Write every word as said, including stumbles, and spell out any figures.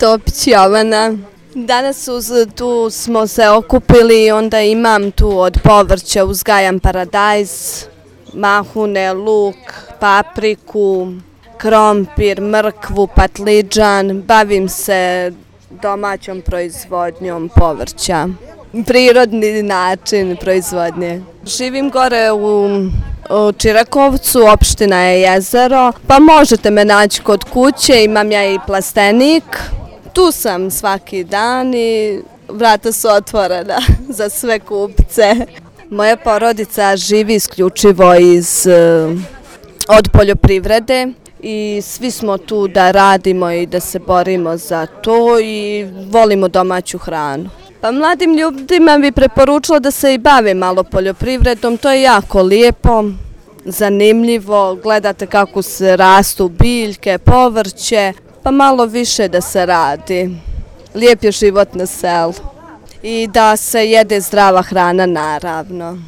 Topić Jovana. Danas uz, tu smo se okupili i onda imam tu od povrća, uzgajam paradajz, mahune, luk, papriku, krompir, mrkvu, patliđan. Bavim se domaćom proizvodnjom povrća. Prirodni način proizvodnje. Živim gore u, u Čirakovcu, opština je Jezero, pa možete me naći kod kuće, imam ja i plastenik. Tu sam svaki dan i vrata su otvorena za sve kupce. Moja porodica živi isključivo iz, od poljoprivrede i svi smo tu da radimo i da se borimo za to i volimo domaću hranu. Pa mladim ljudima bi preporučila da se i bave malo poljoprivredom, to je jako lijepo, zanimljivo, gledate kako se rastu biljke, povrće, pa malo više da se radi. Lijep je život na selu i da se jede zdrava hrana naravno.